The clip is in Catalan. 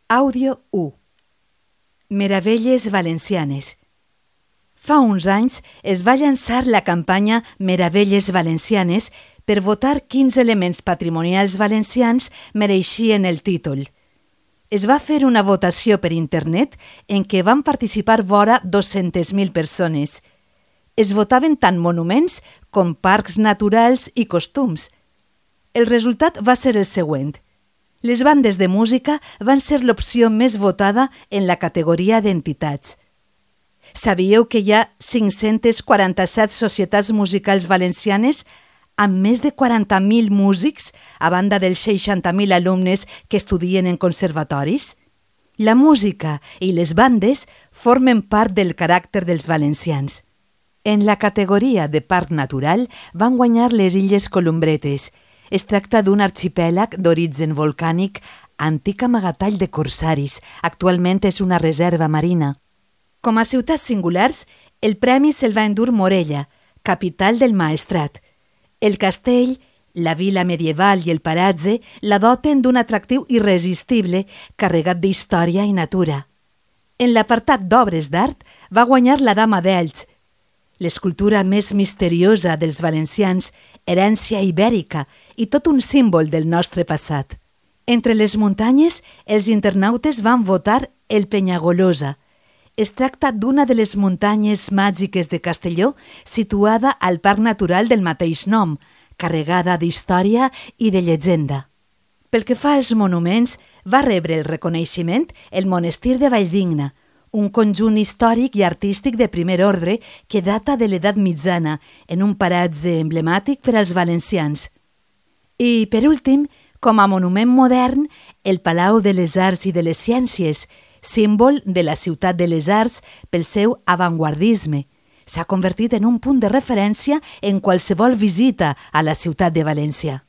Àudio 1. Meravelles valencianes. Fa uns anys es va llançar la campanya Meravelles valencianes per votar quins elements patrimonials valencians mereixien el títol. Es va fer una votació per internet en què van participar vora 200.000 persones. Es votaven tant monuments com parcs naturals i costums. El resultat va ser el següent. Les bandes de música van ser l'opció més votada en la categoria d'entitats. Sabíeu que hi ha 547 societats musicals valencianes amb més de 40.000 músics a banda dels 60.000 alumnes que estudien en conservatoris? La música i les bandes formen part del caràcter dels valencians. En la categoria de parc natural van guanyar les Illes Columbretes. Es tracta d'un arxipèlag d'origen volcànic antic amagatall de corsaris. Actualment és una reserva marina. Com a ciutats singulars, el premi se'l va endur Morella, capital del Maestrat. El castell, la vila medieval i el paratge la doten d'un atractiu irresistible carregat d'història i natura. En l'apartat d'obres d'art va guanyar la Dama d'Elx, l'escultura més misteriosa dels valencians, herència ibèrica i tot un símbol del nostre passat. Entre les muntanyes, els internautes van votar el Penyagolosa. Es tracta d'una de les muntanyes màgiques de Castelló situada al Parc Natural del mateix nom, carregada d'història i de llegenda. Pel que fa als monuments, va rebre el reconeixement el Monestir de Valldigna, un conjunt històric i artístic de primer ordre que data de l'edat mitjana, en un paratge emblemàtic per als valencians. I, per últim, com a monument modern, el Palau de les Arts i de les Ciències, símbol de la ciutat de les arts pel seu avantguardisme. S'ha convertit en un punt de referència en qualsevol visita a la ciutat de València.